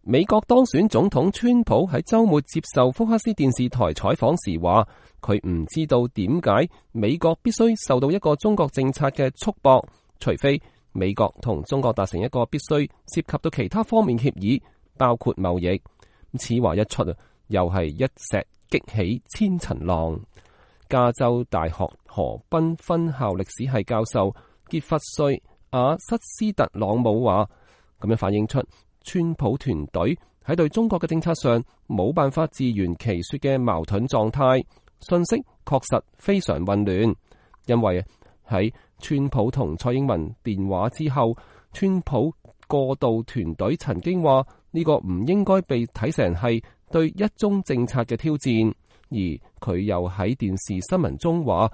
美國當選總統川普喺週末接受福克斯電視台採訪時話，佢唔知道點解美國必須受到一個中國政策嘅束縛，除非美國同中國達成一個必須涉及到其他方面協議，包括貿易。此話一出啊，又係一石激起千層浪。加州大學河濱分校歷史系教授傑弗瑞·阿瑟斯特朗姆話，咁樣反映出川普團隊喺對中國嘅政策上冇辦法自圓其說嘅矛盾狀態，信息確實非常混亂。因為喺川普同蔡英文電話之後，川普過渡團隊曾經話呢個唔應該被睇成係對一中政策嘅挑戰，而佢又喺電視新聞中話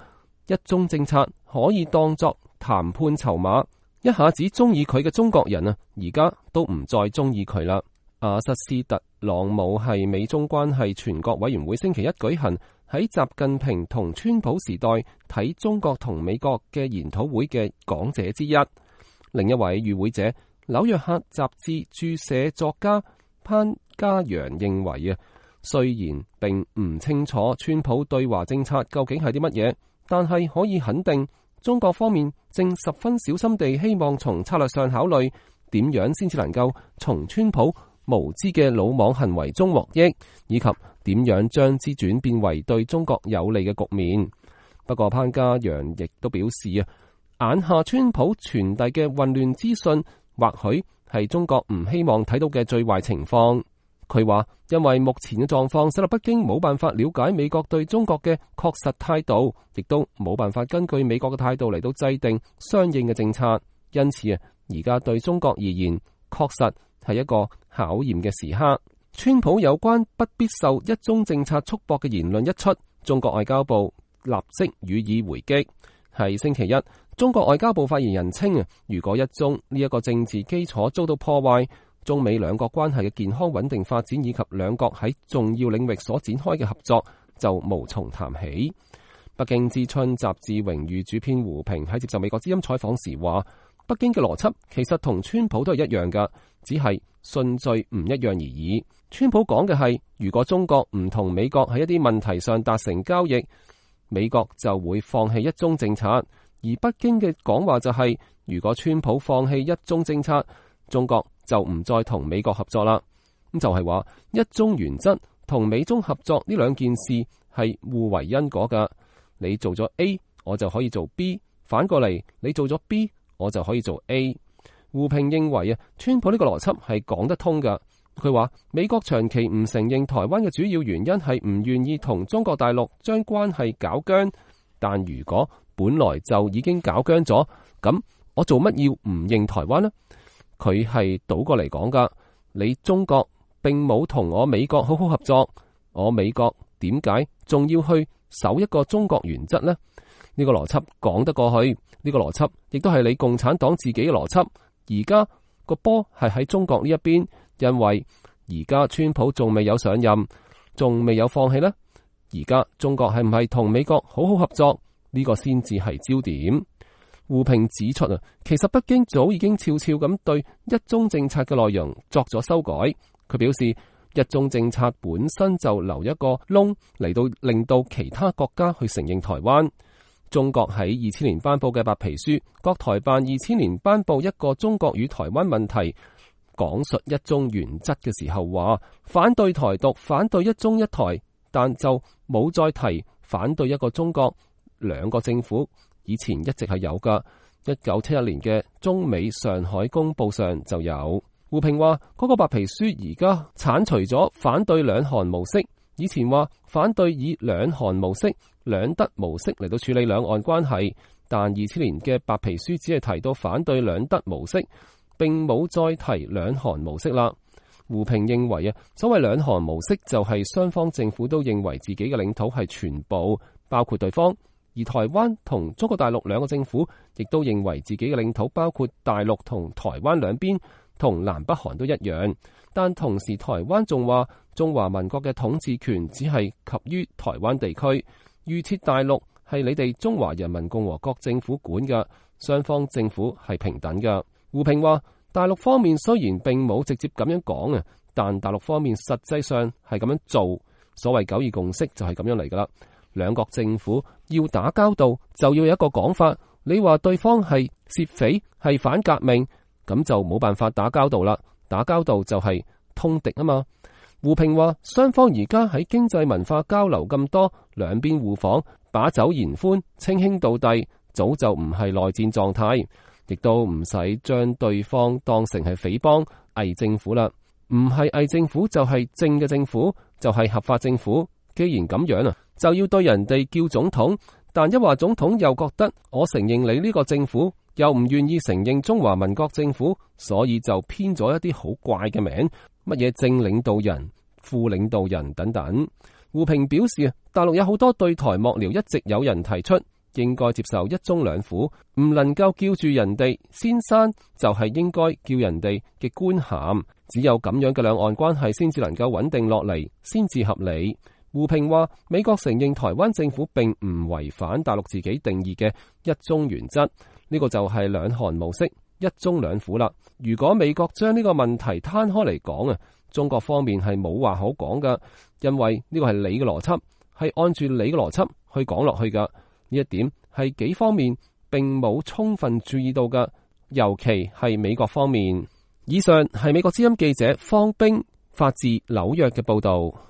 一中政策可以當作談判籌碼。一下子中意佢嘅中國人啊，而家都唔再中意佢啦。阿瑟斯特朗姆係美中關係全國委員會星期一舉行喺習近平同川普時代睇中國同美國嘅研討會嘅講者之一。另一位與會者紐約客雜誌駐社作家潘嘉陽認為啊，雖然並唔清楚川普對華政策究竟係啲乜嘢，但係可以肯定中國方面正十分小心地希望從策略上考慮點樣先至能夠從川普無知嘅魯莽行為中獲益，以及點樣將之轉變為對中國有利嘅局面。不過潘嘉陽亦都表示啊，眼下川普傳遞嘅混亂資訊或許係中國唔希望睇到嘅最壞情況。佢話因為目前嘅狀況使到北京冇辦法了解美國對中國嘅確實態度，亦都冇辦法根據美國嘅態度嚟到制定相應嘅政策。因此啊，而家對中國而言確實係一個考驗嘅時刻。川普有關不必受一中政策束縛嘅言論一出，中國外交部立即予以回擊。係星期一，中國外交部發言人稱啊，如果一中呢一個政治基礎遭到破壞，中美兩國關係嘅健康穩定發展以及兩國喺重要領域所展開嘅合作就無從談起。北京之春雜誌榮譽主編胡平喺接受美國之音採訪時話，北京嘅邏輯其實同川普都係一樣噶，只係順序唔一樣而已。川普講嘅係，如果中國唔同美國喺一啲問題上達成交易，美國就會放棄一中政策。而北京嘅講話就係，如果川普放棄一中政策，中國就唔再同美國合作啦。咁就係話一中原則同美中合作呢兩件事係互為因果噶。你做咗 A， 我就可以做 B， 反過嚟你做咗 B， 我就可以做 A。胡平認為啊，川普呢個邏輯係講得通噶。佢話美國長期唔承認台灣嘅主要原因係唔願意同中國大陸將關係搞僵，但如果本來就已經搞僵咗，咁我做乜要唔認台灣呢？佢係倒過嚟講噶，你中國並冇同我美國好好合作，我美國點解仲要去守一個中國原則呢？呢個邏輯講得過去，呢個邏輯亦都係你共產黨自己嘅邏輯。而家個波係喺中國呢一邊，因為而家川普仲未有上任，仲未有放棄呢。而家中國係唔係同美國好好合作？呢個先至係焦點。胡平指出啊，其實北京早已經悄悄咁對一中政策嘅內容作咗修改。佢表示，一中政策本身就留一個窿嚟到令到其他國家去承認台灣。中國喺2000年頒布嘅白皮書，國台辦2000年頒布一個中國與台灣問題，講述一中原則嘅時候話反對台獨，反對一中一台，但就冇再提反對一個中國兩個政府。以前一直係有噶，1971年嘅中美上海公報上就有。胡平話嗰個白皮書而家剷除咗反對兩韓模式，以前話反對以兩韓模式、兩德模式嚟到處理兩岸關係，但2000年嘅白皮書只係提到反對兩德模式，並冇再提兩韓模式啦。胡平認為啊，所謂兩韓模式就係雙方政府都認為自己嘅領土係全部包括對方。而台灣同中國大陸兩個政府亦都認為自己嘅領土包括大陸同台灣兩邊，同南北韓都一樣。但同時台灣仲話中華民國嘅統治權只係及於台灣地區，預設大陸係你哋中華人民共和國政府管嘅，雙方政府係平等嘅。胡平話大陸方面雖然並冇直接咁樣講啊，但大陸方面實際上係咁樣做。所謂九二共識就係咁樣嚟噶啦。兩國政府要打交道，就要有一個講法。你話對方係竊匪，係反革命，咁就冇辦法打交道啦。打交道就係通敵啊嘛。胡平話，雙方而家喺經濟文化交流咁多，兩邊互訪，把酒言歡，稱兄道弟，早就唔係內戰狀態，亦都唔使將對方當成係匪幫、偽政府啦。唔係偽政府就係正嘅政府，就係合法政府。既然咁樣啊，就要對人哋叫總統，但一話總統又覺得我承認你呢個政府，又唔願意承認中華民國政府，所以就編咗一啲好怪嘅名，乜嘢正領導人、副領導人等等。胡平表示，大陸有好多對台幕僚一直有人提出，應該接受一中兩府，唔能夠叫住人哋先生，就係應該叫人哋嘅官銜，只有咁樣嘅兩岸關係先至能夠穩定落嚟，先至合理。胡平話，美國承認台灣政府並唔違反大陸自己定義嘅一中原則，呢個就係兩韓模式，一中兩府啦。如果美國將呢個問題攤開嚟講啊，中國方面係冇話好講噶，因為呢個係你嘅邏輯，係按住你嘅邏輯去講落去噶。呢一點係幾方面並冇充分注意到噶，尤其係美國方面。以上係美國之音記者方冰發自紐約嘅報道。